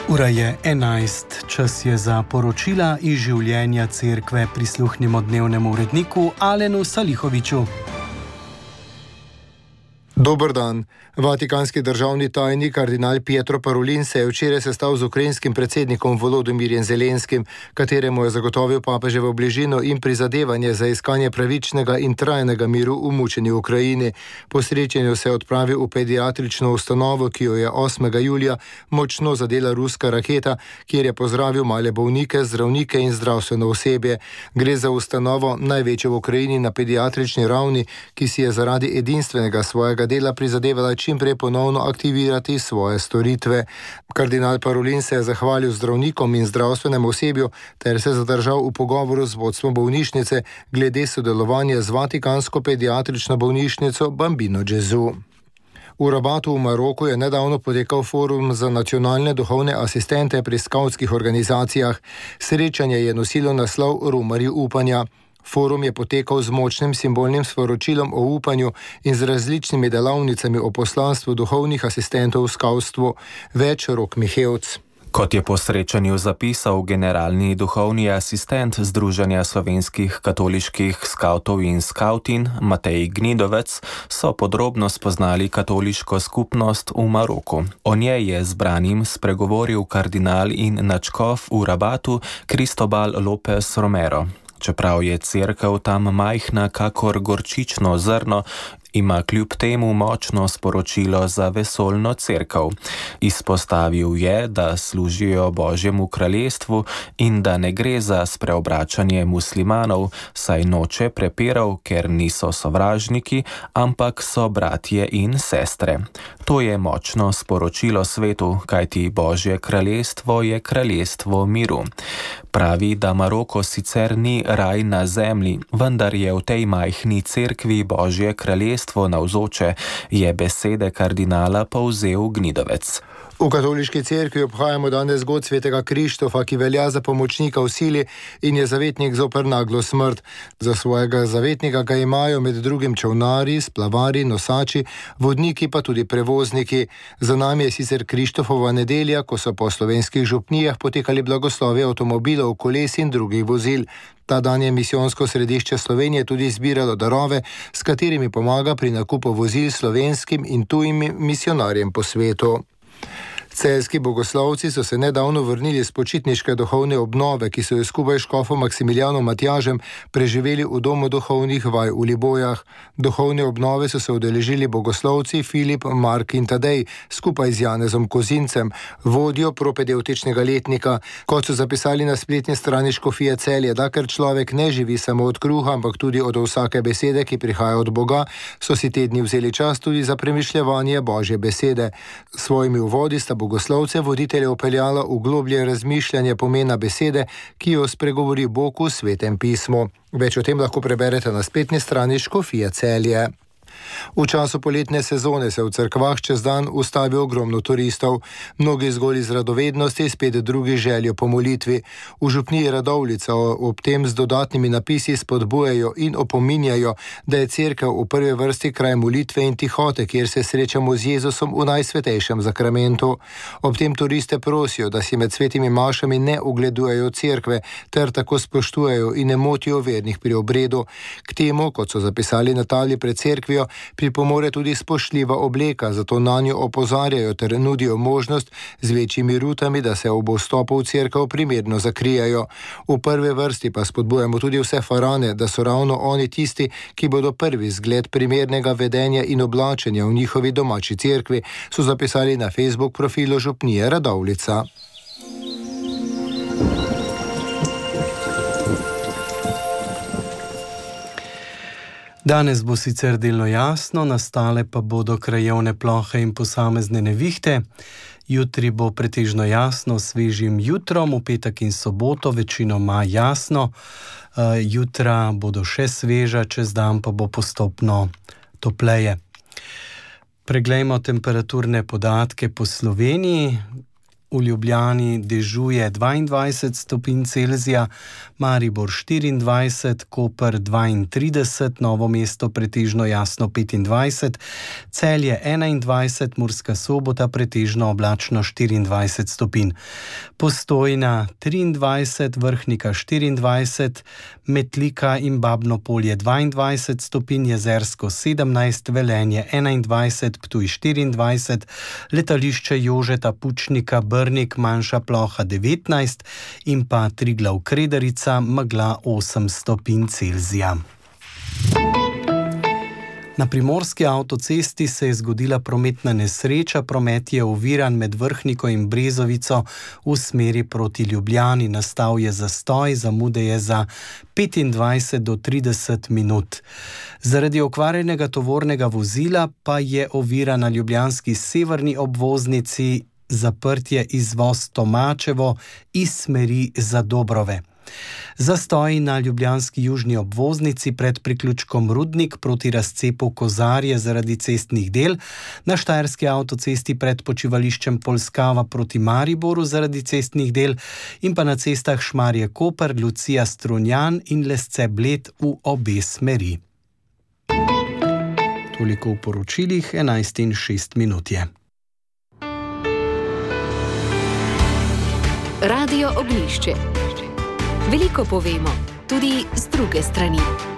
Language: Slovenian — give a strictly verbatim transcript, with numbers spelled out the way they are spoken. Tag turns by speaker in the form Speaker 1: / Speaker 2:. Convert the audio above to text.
Speaker 1: Ura je enajst, čas je za poročila iz življenja cerkve. Prisluhnimo dnevnemu uredniku Alenu Salihoviču.
Speaker 2: Dober dan. Vatikanski državni tajnik kardinal Pietro Parolin se je včeraj sestal z ukrajinskim predsednikom Volodomirjem Zelenskim, kateremu je zagotovil papeževo bližino in prizadevanje za iskanje pravičnega in trajnega miru v mučeni Ukrajini. Po srečanju se je odpravil v pediatrično ustanovo, ki jo je osmega julija močno zadela ruska raketa, kjer je pozdravil male bolnike, zdravnike in zdravstveno osebje. Gre za ustanovo največjo v Ukrajini na pediatrični ravni, ki si je zaradi edinstvenega svojega dela prizadevala čim prej ponovno aktivirati svoje storitve. Kardinal Parolin se je zahvalil zdravnikom in zdravstvenemu osebju ter se zadržal v pogovoru z vodstvom bolnišnice glede sodelovanja z Vatikansko pediatrično bolnišnico Bambino Gesù. V Rabatu v Maroku je nedavno potekal forum za nacionalne duhovne asistente pri skavtskih organizacijah. Srečanje je nosilo naslov Romarji upanja. Forum je potekal z močnim simbolnim sporočilom o upanju in z različnimi delavnicami o poslanstvu duhovnih asistentov v skavstvu. Več Rok Mihevc.
Speaker 3: Kot je po srečanju zapisal generalni duhovni asistent Združenja slovenskih katoliških skavtov in skavtin Matej Gnidovec, so podrobno spoznali katoliško skupnost v Maroku. O njej je zbranim spregovoril kardinal in nadškof v Rabatu Cristobal López Romero. Čeprav je cerkev tam majhna kakor gorčično zrno, ima kljub temu močno sporočilo za vesoljno cerkev. Izpostavil je, da služijo Božjemu kraljestvu in da ne gre za spreobračanje muslimanov, saj noče prepirov, ker niso sovražniki, ampak so bratje in sestre. To je močno sporočilo svetu, kajti Božje kraljestvo je kraljestvo miru. Pravi, da Maroko sicer ni raj na zemlji, vendar je v tej majhni cerkvi Božje kraljestvo navzoče, je besede kardinala povzel Gnidovec.
Speaker 2: V katoliški cerkvi obhajamo danes god svetega Krištofa, ki velja za pomočnika v sili in je zavetnik zoper naglo smrt. Za svojega zavetnika ga imajo med drugim čolnari, splavari, nosači, vodniki pa tudi prevozniki. Za nami je sicer Krištofova nedelja, ko so po slovenskih župnijah potekali blagoslovi avtomobilov, koles in drugih vozil. Ta dan je misijonsko središče Slovenije tudi zbiralo darove, s katerimi pomaga pri nakupu vozil slovenskim in tujim misionarjem po svetu. Celjski bogoslovci so se nedavno vrnili z počitniške duhovne obnove, ki so jo skupaj s škofom Maksimilijanom Matjažem preživeli v domu duhovnih vaj v Libojah. Duhovne obnove so se udeležili bogoslovci Filip, Mark in Tadej skupaj z Janezom Kozincem, vodjo propedevtičnega letnika. Kot so zapisali na spletni strani škofije Celje, da ker človek ne živi samo od kruha, ampak tudi od vsake besede, ki prihaja od Boga, so si te dni vzeli čas tudi za premišljevanje Božje besede. S svojimi uvodi sta bogoslovce voditelje upeljala v globlje razmišljanje pomena besede, ki jo spregovori Bog v Svetem pismu. Več o tem lahko preberete na spletni strani škofije Celje. V času poletne sezone se v cerkvah čez dan ustavi ogromno turistov. Mnogi zgolj iz radovednosti, spet drugi željo po molitvi. V župniji Radovljica ob tem z dodatnimi napisi spodbujajo in opominjajo, da je cerkev v prvi vrsti kraj molitve in tihote, kjer se srečamo z Jezusom v najsvetejšem zakramentu. Ob tem turiste prosijo, da si med svetimi mašami ne ugledujejo cerkve, ter tako spoštujejo in ne motijo vernih pri obredu. K temu, kot so zapisali na tabli pred cerkvijo, pripomore tudi spoštljiva obleka, zato nanjo opozarjajo ter nudijo možnost z večjimi rutami, da se ob vstopu v cerkev primerno zakrijajo. V prvi vrsti pa spodbujamo tudi vse farane, da so ravno oni tisti, ki bodo prvi zgled primernega vedenja in oblačenja v njihovi domači cerkvi, so zapisali na Facebook profilu župnije Radovljica.
Speaker 1: Danes bo sicer delno jasno, nastale pa bodo krajevne plohe in posamezne nevihte. Jutri bo pretežno jasno s svežim jutrom, v petek in soboto večinoma jasno. Jutra bodo še sveža, čez dan pa bo postopno topleje. Preglejmo temperaturne podatke po Sloveniji. v Ljubljani dežuje dvaindvajset stopinj Celzija, Maribor štiriindvajset, Koper dvaintrideset, Novo mesto pretežno jasno petindvajset, Celje enaindvajset, Murska Sobota pretežno oblačno štiriindvajset stopinj, Postojna triindvajset, Vrhnika štiriindvajset, Metlika in Babno Polje dvaindvajset stopinj, Jezersko sedemnajst, Velenje enaindvajset, Ptuj štiriindvajset, Letališče Jožeta Pučnika Brnik manjša ploha devetnajst in pa Triglav Kredarica megla osem stopinj Celzija. Na primorski avtocesti se je zgodila prometna nesreča, promet je oviran med Vrhniko in Brezovico v smeri proti Ljubljani. Nastal je zastoj, zamude je za petindvajset do trideset minut. Zaradi okvarjenega tovornega vozila pa je ovira na ljubljanski severni obvoznici zaprtje izvoz Tomačevo iz smeri Zadobrove. Zastoj na ljubljanski južni obvoznici pred priključkom Rudnik proti razcepu Kozarje zaradi cestnih del, na štajerski avtocesti pred počivališčem Polskava proti Mariboru zaradi cestnih del in pa na cestah Šmarje Koper, Lucija Strunjan in Lesce Bled v obe smeri. Toliko v poročilih, enajst in šest minut je.
Speaker 4: Radio Ognjišče. Veliko povemo, tudi z druge strani.